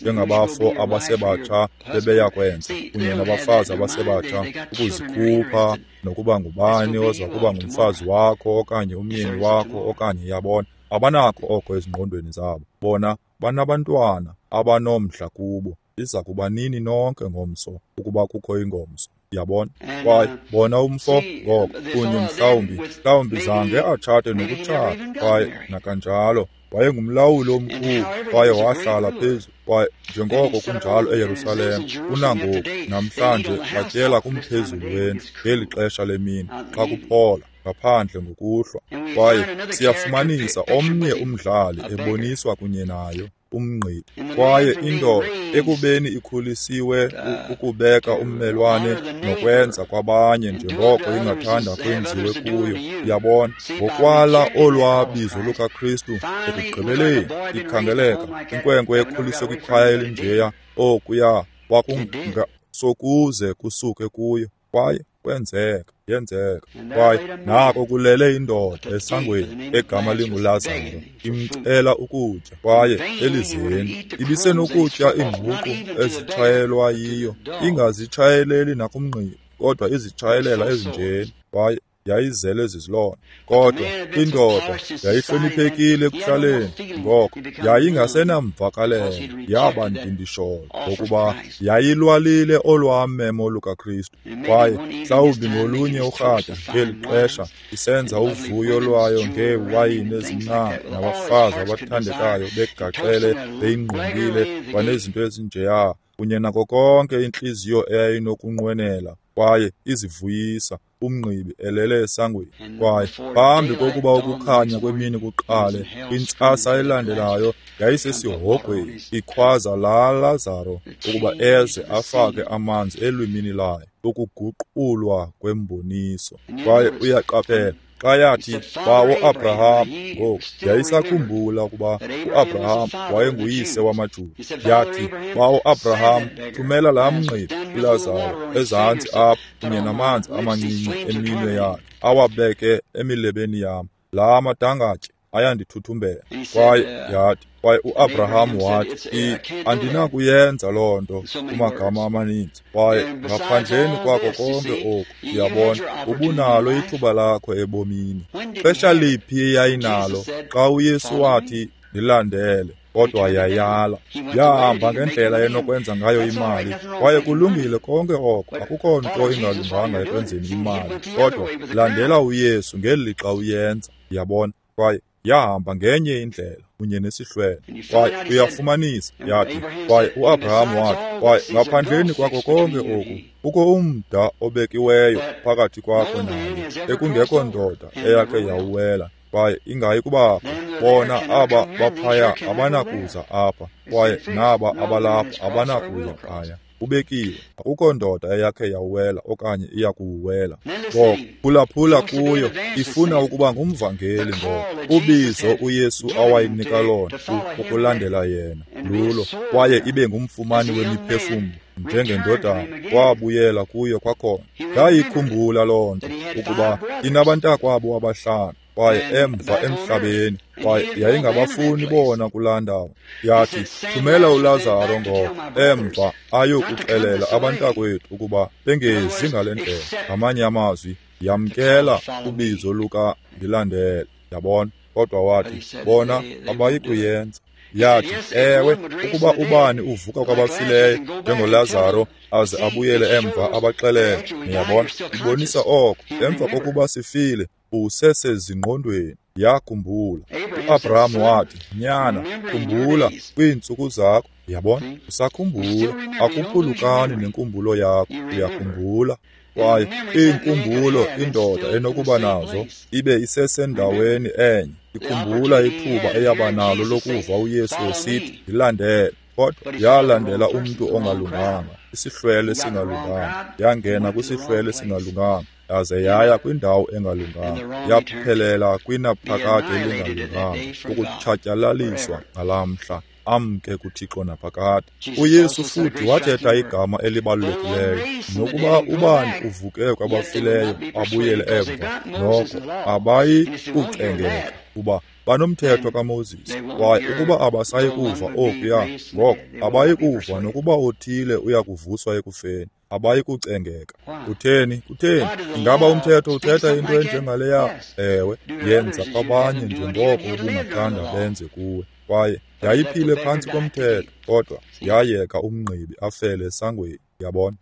Speaker 1: njengabafo abasebatsha bebeyakwenza, kunye nabafazi abasebatsha, ukuzikhupha nokuba ngubani oza kuba ngumfazi wakho okanye umyeni wakho okanye, yabona, abanakho oko ezingqondweni zabo. Bona banabantwana abanomdla kubo. Iza kuba nini nonke ngomso ukuba kukho ingomso, yabona. Kwaye bona umfo ngoko kunye mhlawumbi zange atshate nokutshata, kwaye nakanjalo wayengumlawuli omkhulu, kwaye wahlala phezu kwaye njengoko kunjalo eYerusalem kunangoku namhlanje batyela kumphezulu wendlu ngeli xesha lemini xa kuphola. ngaphandle ngokuhlwa. Kwaye siyafumanisa omnye umdlali eboniswa kunye nayo, umngqibi. Kwaye indoda ekubeni ikhulisiwe ukubeka ummelwane nokwenza kwabanye njengoko ingathanda kwenziwe kuyo, yabona, ngokwala olwabizo lukaKristu, ekugqibeleni ikhangeleka inkwenkwe ekhuliswe kwikhaya elinjeya, okuya kwakungasokuze kusuke kuyo. Kwaye kwenzeka, yenzeka. Kwaye nako kulele indoda esangweni egama linguLazaro, imcela ukutya. Kwaye elizeni ibisenokutya iingququ ezitshayelwa yiyo, ingazitshayeleli nakumngqibi, kodwa izitshayelela ezinjeni. Kwaye yayizele zizilonda. Kodwa indoda yayihloniphekile ekuhlaleni, ngoko yayingasenamvakalelo, yaba ndindisholo, ngokuba yayilwalile olwamemo lukaKristu. Kwaye mhlawumbi ngolunye urhatya ngeli xesha isenza uvuyo lwayo ngeewayini ezimnandi nabafazi abathandekayo begaxele beyingqungile kwanezinto ezinjeya, kunye nako konke intliziyo eyayinokunqwenela, kwaye izivuyisa, umngqibi elele esangweni. Kwaye phambi kokuba ukukhanya kwemini kuqale, kwintsasa elandelayo yayisesihogweni, ikhwaza laa Lazaro ukuba eze afake amanzi elwimini layo, ukuguqulwa kwemboniso. Kwaye uyaqaphela, xa yathi, Bawo Abraham, ngoku yayisakhumbula ukuba uAbraham wayenguyise wamaJuda. Yathi, Bawo Abraham, thumela laa mngqibi uLazaro ezantsi apha kunye namanzi amancinci eminwe yakhe, awabeke emilebeni yam. Laa madangatye ayandithuthumbela. Kwaye yathi, kwaye uAbraham wathi, andinakuyenza loo nto kumagama amaninzi. Kwaye ngaphandleni kwako konke oku, uyabona, ubunalo ithuba lakho ebomini. Xesha liphi eyayinalo xa uYesu wathi, ndilandele? Kodwa yayala, yahamba ngendlela enokwenza ngayo imali. Kwaye kulungile konke oko, akukho nto ingalunganga ekwenzeni imali, kodwa landela uYesu ngeli lixa uyenza, yabona. Kwaye yahamba ngenye indlela kunye nesihlwele. Kwaye uyafumanisa, yathi, kwaye uAbraham wathi, kwaye ngaphandleni kwako konke oku, kukho umda obekiweyo phakathi kwakho naye, ekungekho ndoda eyakhe yawuwela, kwaye ingayi kubakho. Bona aba baphaya abanakuza apha, kwaye naba abalapha abanakuya phaya. Ubekiwe, akukho ndoda eyakhe yawuwela okanye iyakuwuwela. Ngoko phulaphula kuyo, ifuna ukuba ngumvangeli. Ngoko ubizo uYesu awayinika lona ukulandela yena lulo, kwaye ibe ngumfumani wemiphefumlo njengendodana. Wabuyela kuyo kwakhona. Yayikhumbula loo nto, ukuba inabantakwabo abahlanu, kwaye emva emhlabeni, kwaye yayingabafuni bona kulaa ndawo. Yathi, thumela uLazaro ngoko emva ayokuxelela abantakwethu ukuba bengezi ngale ndlela. Ngamanye amazwi, yamkela ubizo luka ndilandele, yabona. Kodwa wathi, bona abayi kuyenza. Yathi, ewe, ukuba ubani uvuka kwabafileyo njengoLazaro aze abuyele emva abaxelele. Niyabona, ibonisa oko, emva kokuba sifile usesezingqondweni. Yakhumbula. uAbraham wathi, nyana, khumbula kwiintsuku zakho. Yabona, usakhumbula, akuphulukani nenkumbulo yakho, uyakhumbula. Kwaye iinkumbulo indoda enokuba nazo ibe isesendaweni enye. Ikhumbula ithuba eyaba nalo lokuva uYesu esithi, ndilandele. Kodwa yalandela umntu ongalunganga, isihlwele singalunganga. Yangena kwisihlwele singalunganga, yaze yaya kwindawo engalunganga, yaphelela kwinaphakade elingalunganga, ukutshatyalaliswa ngalamhla, amke kuThixo naphakade. uYesu futhi wathetha igama elibalulekileyo, nokuba ubani uvuke kwabafileyo abuyele emva, noko abayi kucengeka, kuba banomthetho kaMoses. Kwaye ukuba abasayi kuva okuya, ngoko abayi kuva nokuba othile uya kuvuswa ekufeni, abayi kucengeka. Kutheni? Kutheni? Ingaba umthetho uthetha into enjengaleya? Ewe, yenza kwabanye njengoko ubungathanda benze kuwe. Kwaye yayiphile phantsi komthetho, kodwa yayeka umngqibi afele esangweni. Yabona,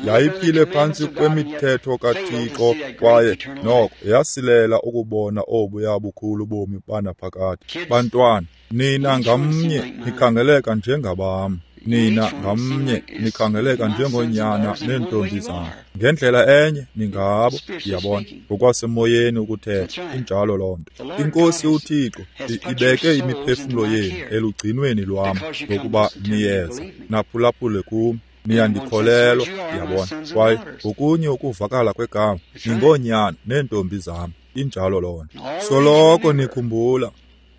Speaker 1: yayiphile phantsi kwemithetho kaThixo, kwaye noko yasilela ukubona obuya bukhulu bomi banaphakade. Bantwana, nina ngamnye nikhangeleka njengabam. Nina ngamnye nikhangeleka njengoonyana neentombi zam. Ngendlela enye ningabo, ndiyabona, ngokwasemoyeni ukuthetha. Injalo loo nto. INkosi uThixo ibeke imiphefumlo yenu elugcinweni lwam, ngokuba niyeza naphulaphule kum. Niyandikholelwa, ndiyabona. Kwaye ngokunye ukuvakala kwegama, ningoonyana neentombi zam. Injalo loo nto. Soloko nikhumbula,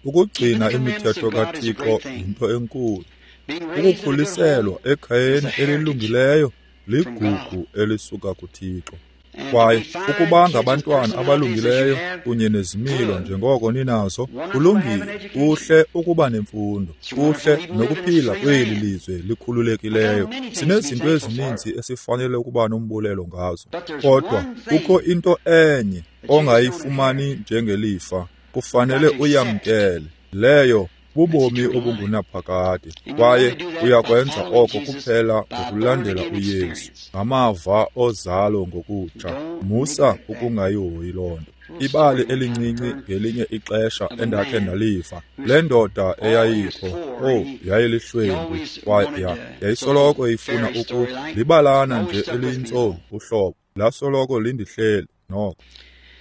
Speaker 1: ukugcina imithetho kaThixo yinto enkulu. Ukukhuliselwa ekhayeni elilungileyo ligugu elisuka kuThixo. Kwaye ukuba ngabantwana abalungileyo kunye nezimilo njengoko ninazo, kulungile, kuhle ukuba nemfundo, kuhle nokuphila kweli lizwe likhululekileyo. Sinezinto ezininzi esifanele ukuba nombulelo ngazo. Kodwa kukho into enye ongayifumani njengelifa, kufanele uyamkele. Leyo bubomi obungunaphakade, kwaye uyakwenza oko kuphela ngokulandela uYesu ngamava ozalo ngokutsha. Musa ukungayihoyi loo nto. Ibali elincinci ngelinye ixesha endakhe ndaliva, le ndoda eyayikho, yayilihlwempu, kwaye yayisoloko ifuna libalana nje eliyintsomi uhlobo, lasoloko lindihleli noko.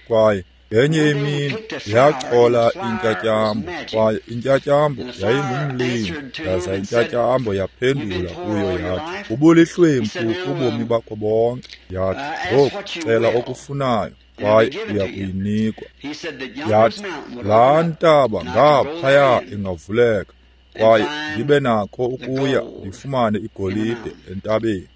Speaker 1: Kwaye ngenye imini yachola intyatyambo, kwaye intyatyambo yayingumlimi, yaza intyatyambo yaphendula kuyo yathi, ubulihlwempu ubomi bakho bonke. Yathi, ngoku cela okufunayo, kwaye uya kuyinikwa. Yathi, laa ntaba ngaphaya ingavuleka, kwaye ndibe nakho ukuya ndifumane igolide entabeni.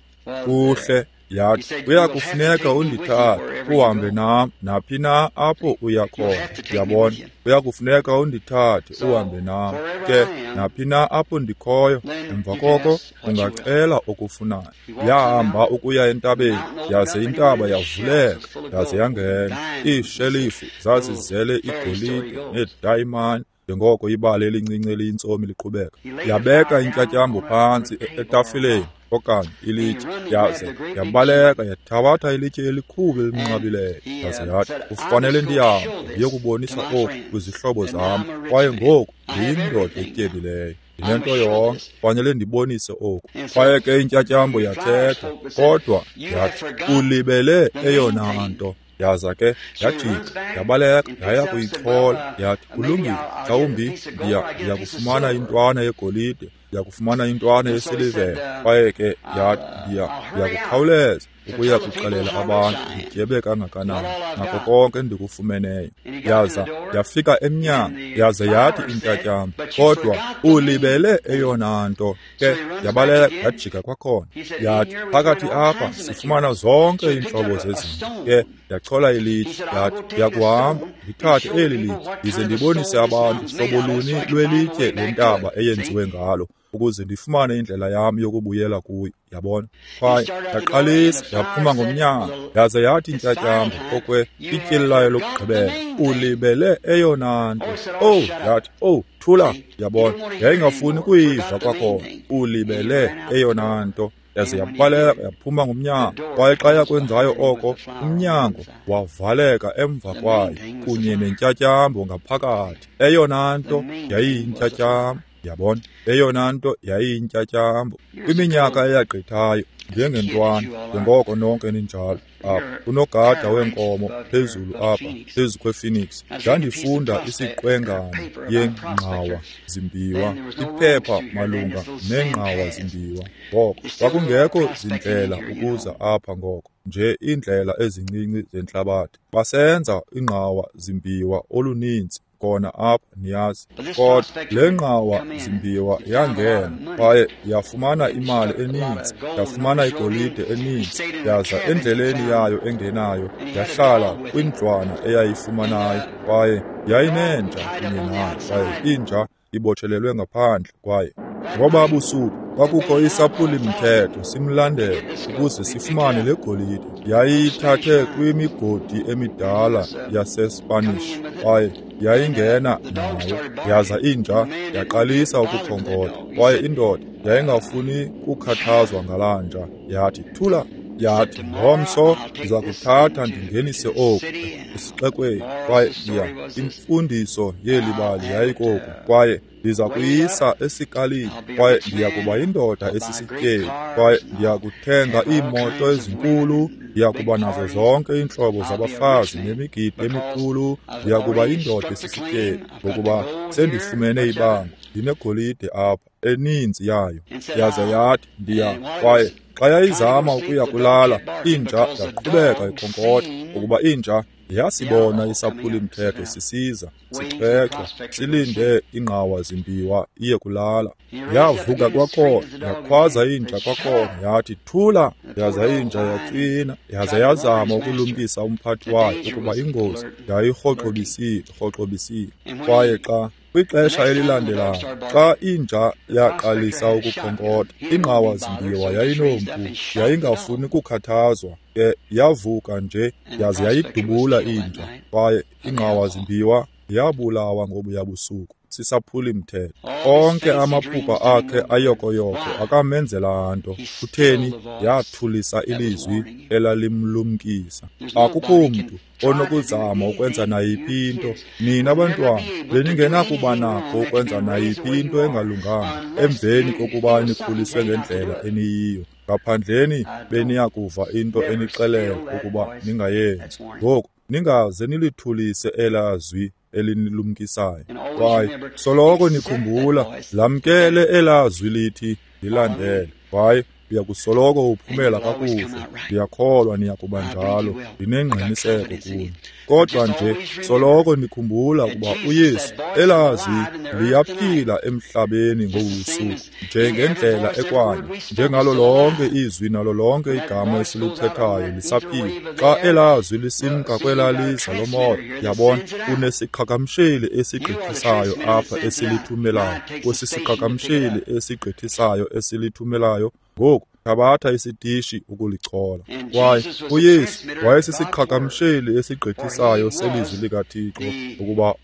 Speaker 1: Kuhle, yathi, kuya kufuneka undithathe uhambe nam naphi na apho uya khona. Ndiyabona, kuya kufuneka undithathe uhambe nam ke naphi na apho ndikhoyo. Emva koko ungacela okufunayo. Yahamba ukuya entabeni, yaze intaba yavuleka, yaze yangena. Iishelifu zazizele igolide needayimani, njengoko ibali elincinci eliyintsomi liqhubeka. Yabeka intyatyambo phantsi etafileni okanye ilitye, yaze yabaleka yathabatha ilitye elikhulu elinqabileyo, yaze yathi, kufanele ndihambe ndiyokubonisa oku kwizihlobo zam, kwaye ngoku ndiyindoda etyebileyo, ndinento yonke, kufanele ndibonise oku. Kwaye ke intyatyambo yathetha, kodwa yathi, ulibele eyona nto. Yaza ke yajika, yabaleka, yaya kuyichola. Yathi, kulungile, mhlawumbi ndiya kufumana intwana yegolide, ndiya kufumana intwana yesilivere. Kwaye ke yathi, ndiya kukhawuleza ukuya kuxelela abantu ndityebe kangakanani nako konke endikufumeneyo. Yaza yafika emnyango, yaze yathi intyatyambo, kodwa ulibele eyona nto. Ke yabaleka yajika kwakhona. Yathi, phakathi apha sifumana zonke iintlobo zezinto. Ke yachola ilitye, yathi, ndiyakuhamba ndithathe eli litye ndize ndibonise abantu hlobo luni lwelitye lentaba eyenziwe ngalo, ukuze ndifumane indlela yam yokubuyela kuyo. Yabona? Kwaye yaqalisa yaphuma ngomnyango, yaze yathi intyatyambo okwe ityeli layo lokugqibela, ulibele eyona nto. Owu, yathi, owu, thula. Yabona, yayingafuni kuyiva kwakhona. Ulibele eyona nto. Yaze yabaleka yaphuma ngomnyango. Kwaye xa yakwenzayo oko, umnyango wavaleka emva kwayo kunye nentyatyambo ngaphakathi. Eyona nto yayiyintyatyambo. Yabona, eyona nto yayiyintyatyambo. Kwiminyaka eyagqithayo, njengentwana, njengoko nonke ninjalo apha, unogada weenkomo phezulu apha, phezu kwePhoenix, ndandifunda isiqwengana yengqawa zimbiwa, iphepha malunga nengqawa zimbiwa. Ngoko kwakungekho zindlela ukuza apha ngoko, nje iindlela ezincinci zentlabathi. Basenza ingqawa zimbiwa oluninzi khona apha, niyazi. Kodwa le nqawa zimbiwa yangena, kwaye yafumana imali eninzi, yafumana igolide eninzi, yaza endleleni yayo engenayo yahlala kwindlwana eyayifumanayo, kwaye yayinenja kunye nayo, kwaye inja ibotshelelwe ngaphandle. Kwaye ngoba busuku kwakukho isaphuli-mthetho simlandela ukuze sifumane le golide. Yayiyithathe kwimigodi emidala yaseSpanish, kwaye yayingena nayo. Yaza inja yaqalisa ukukhonkotha, kwaye indoda yayingafuni kukhathazwa ngalaa nja. Yathi, thula. Yathi, ngomso ndiza kuthatha ndingenise oku esixekweni, kwaye imfundiso yeli bali yayikoku, kwaye ndiza kuyisa esikalini, kwaye ndiya kuba yindoda esisityebi, kwaye ndiya kuthenga iimoto ezinkulu, ndiya kuba nazo zonke iintlobo zabafazi nemigidi emikhulu, ndiya kuba yindoda esisityebi, ngokuba sendifumene ibango, ndinegolide apha, eninzi yayo. Yaze yathi, ndiya, kwaye xa yayizama ukuya kulala, inja yaqhubeka ikhonkotha, ukuba inja yasibona isaphuli-mthetho sisiza, sichwechwa, silinde ingqawa zimbiwa iye kulala. Yavuka kwakhona, yakhwaza inja kwakhona, yathi, thula. Yaza inja yatswina, yaza yazama ukulumkisa umphathi wayo ukuba ingozi yayirhoxobisile. Kwaye xa kwixesha elilandelayo, xa inja yaqalisa ukukhonkotha, ingqawa zimbiwa yayinompu, yayingafuni kukhathazwa, ke yavuka nje yaze yayidubula inja, kwaye ingqawa zimbiwa yabulawa ngobuya busuku sisaphuli-mthetho. Onke amaphupha akhe ayokoyoko akamenzela nto. Kutheni? Yathulisa ilizwi elalimlumkisa. Akukho mntu onokuzama ukwenza nayiphi into. Nina bantwana beningenakuba nakho ukwenza nayiphi into engalunganga emveni kokuba nikhuliswe ngendlela eniyiyo. Ngaphandleni beniyakuva into enixelela ukuba ningayenzi. Ngoku ningaze nilithulise elaa zwi elinilumkisayo. Kwaye soloko nikhumbula, lamkele elaa zwi lithi ndilandele, kwaye uya kusoloko uphumela kakuhle. Ndiyakholwa niyakuba njalo, ndinengqiniseko kuni. Kodwa nje soloko nikhumbula ukuba uYesu, elaa zwi liyaphila emhlabeni ngobusuku, njengendlela ekwanye, njengalo lonke izwi nalo lonke igama esilithethayo lisaphila. Xa elaa zwi lisimka kwelaa liza lomoya, yabona, unesiqhagamsheli esigqithisayo apha esilithumelayo, kwesisiqhagamsheli esigqithisayo esilithumelayo. Ngoku thabatha isitishi ukulichola. Kwaye uYesu wayesisiqhagamsheli esigqithisayo selizwi likaThixo, ukuba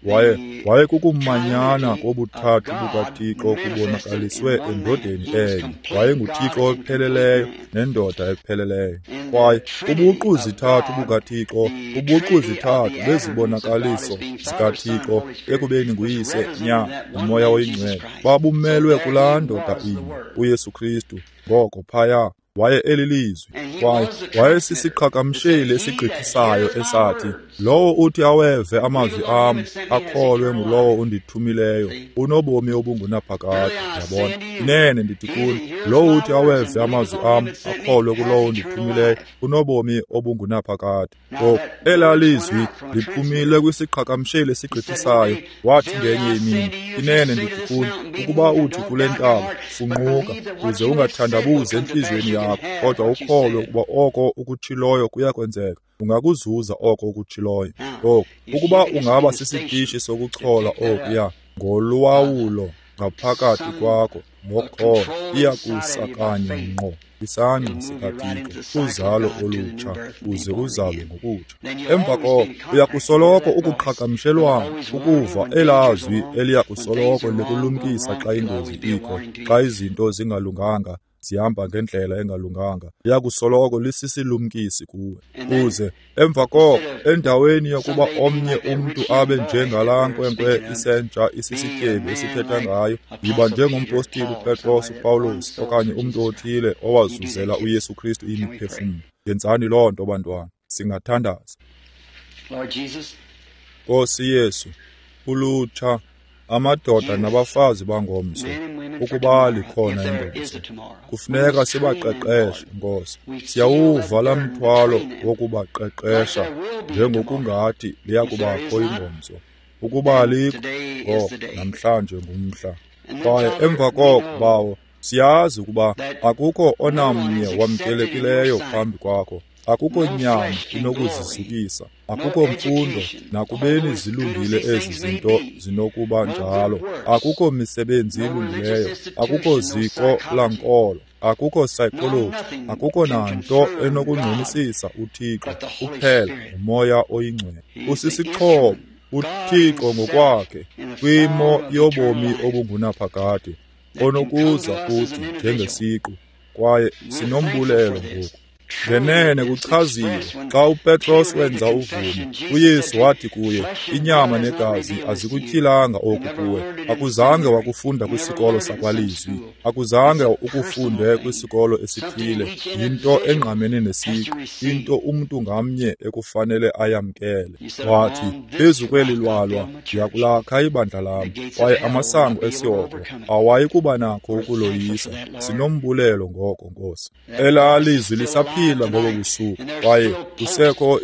Speaker 1: wayekukumanyana kobuthathu bukaThixo kubonakaliswe endodeni enye. WayenguThixo opheleleyo nendoda epheleleyo. Kwaye ubuqu zithathu bukaThixo, ubuqu zithathu bezibonakaliso zikaThixo ekubeni nguYise, Nyana, noMoya oyiNgcwele, babumelwe kulaa ndoda inye, uYesu Kristu. Ngoko phaya waye elilizwi, kwaye wayesisiqhagamsheli esigqithisayo esathi, lowo uthi aweve amazwi am akholwe ngulowo undithumileyo unobomi obungunaphakade. Yabona, inene ndithi kuni, lowo uthi aweve amazwi am akholwe kulowo undithumileyo unobomi obungunaphakade. Ngoku elaa lizwi liphumile kwisiqhagamsheli esigqithisayo. Wathi ngenye imini, inene ndithi kuni, ukuba uthi kule ntaba, funquka, uze ungathandabuzi entliziyweni yakho, kodwa ukholwe ukuba oko ukutshiloyo kuyakwenzeka, ungakuzuza oko ukutshiloyo. Ngoku ukuba ungaba sisitishi sokuchola okuya ngolwawulo ngaphakathi kwakho ngokholo, iyakusa kanye ngqo isangqa sikaThixo, uzalo olutsha, uze uzalwe ngokutsha. Emva koko uyakusoloko ukuqhagamshelwana ukuva elaa zwi eliyakusoloko likulumkisa xa ingozi ikho, xa izinto zingalunganga, zihamba ngendlela engalunganga, liyakusoloko lisisilumkisi kuwe. Kuze emva koko, endaweni yokuba omnye umntu abe njengalaa nkwenkwe isentsha isisityebi esithetha ngayo, yiba njengompostile uPetros, uPawulos, okanye umntu othile owazuzela uYesu Kristu imiphefumlo. Yenzani loo nto, bantwana. Singathandaza. Nkosi Yesu, ulutsha, amadoda nabafazi bangomso, ukuba likhona ingomso, kufuneka sibaqeqeshe, Nkosi. Siyawuva laa mthwalo wokubaqeqesha njengokungathi liyakubakho ingomso. Ukuba alikho, ngoko namhlanje ngumhla. Kwaye emva koko, Bawo, siyazi ukuba akukho onamnye wamkelekileyo phambi kwakho. Akukho nyama inokuzizukisa, akukho mfundo, nakubeni zilungile ezi zinto zinokuba njalo, akukho misebenzi ilungileyo, akukho ziko lankolo, akukho psychology, akukho nanto enokungqinisisa uThixo kuphela uMoya oyiNgcwele. Usisixhobo, uThixo ngokwakhe, kwimo yobomi obungunaphakade, onokuza kuthi njengesiqu, kwaye sinombulelo ngoku. Ngenene kuchaziwe xa uPetros wenza uvumo, uYesu wathi kuye, inyama negazi azikutyhilanga oku kuwe. Akuzange wakufunda kwisikolo sakwalizwi, akuzange ukufunde kwisikolo esithile. Yinto engqamene nesiqu, into umntu ngamnye ekufanele ayamkele. Wathi, phezu kweli lwalwa ndiyakulakha ibandla lam, kwaye amasango esihogo awayi kuba nakho ukuloyisa. Sinombulelo ngoko, Nkosi. Elaa lizwi lisaphila ngobo busuku, kwaye kusekho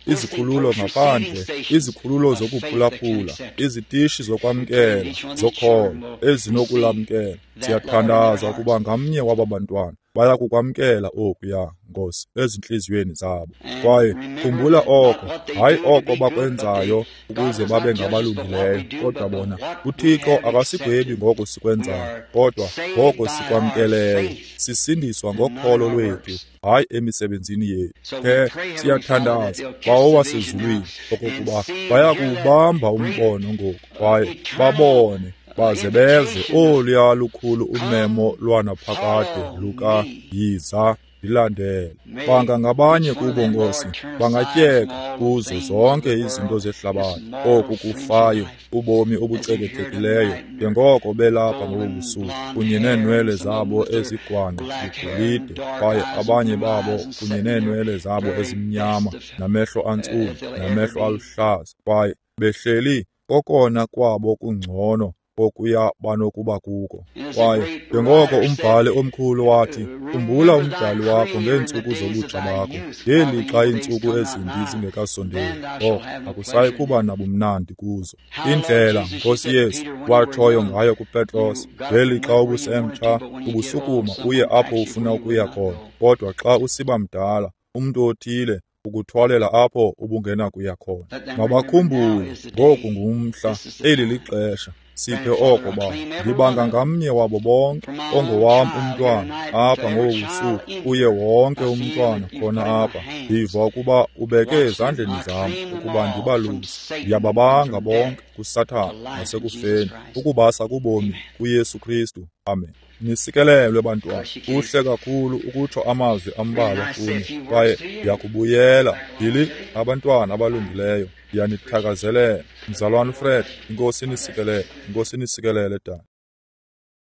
Speaker 1: izikhululo ngaphandle, izikhululo zokuphulaphula, izitishi zokwamkela zokholo ezinokulamkela. Siyathandaza ukuba ngamnye waba bantwana baya kukwamkela okuya, Nkosi, ezintliziyweni zabo. Kwaye khumbula oko, hayi oko bakwenzayo ukuze babe ngabalungileyo, kodwa bona, uThixo akasigwebi ngoko sikwenzayo, kodwa ngoko sikwamkeleyo. Sisindiswa ngokholo lwethu, hayi emisebenzini yethu. Ke siyathandaza, Bawo wasezulwini, okokuba bayakuwubamba umbono ngoku, kwaye babone baze beve oluya lukhulu umemo lwanaphakade luka yiza ndilandele. Banga ngabanye kubo, Nkosi, bangatyeka kuzo zonke izinto zehlabathi, oku kufayo, ubomi obucekethekileyo, njengoko belapha ngobu busuku, kunye neenwele zabo ezigwangqa ligolide, kwaye abanye babo kunye neenwele zabo ezimnyama, namehlo antsundu, namehlo aluhlaza, kwaye behleli kokona kwabo kungcono okuya banokuba kuko. Kwaye njengoko umbhali omkhulu wathi, khumbula umdali wakho ngeentsuku zobutsha bakho, ngelixa iintsuku ezimbi zingekasondeli, oko akusayi kuba nabumnandi kuzo. Indlela, Nkosi Yesu, watshoyo ngayo kuPetros, ngelixa ubusemtsha, ubusukuma uye apho ufuna ukuya khona, kodwa xa usiba mdala, umntu othile ukuthwalela apho ubungenakuya khona. Mabakhumbule, ngoku ngumhla, eli lixesha. Siphe oko, Bawo. Ndibanga ngamnye wabo bonke, ongowam umntwana apha ngobu busuku, uye wonke umntwana khona apha. Ndiva ukuba ubeke ezandleni zam ukuba ndibaluse. Ndiyababanga bonke kuSathana nasekufeni, ukubasa kubomi kuYesu Kristu. Amen. Nisikelelwe, bantwana. Kuhle kakhulu ukutsho amazwi ambalwa kuni, kwaye ndiyakubuyela. Ndili abantwana abalungileyo. Ndiyanithakazelela. Mzalwana uFred, iNkosi inisikelele. iNkosi inisikelele, dade.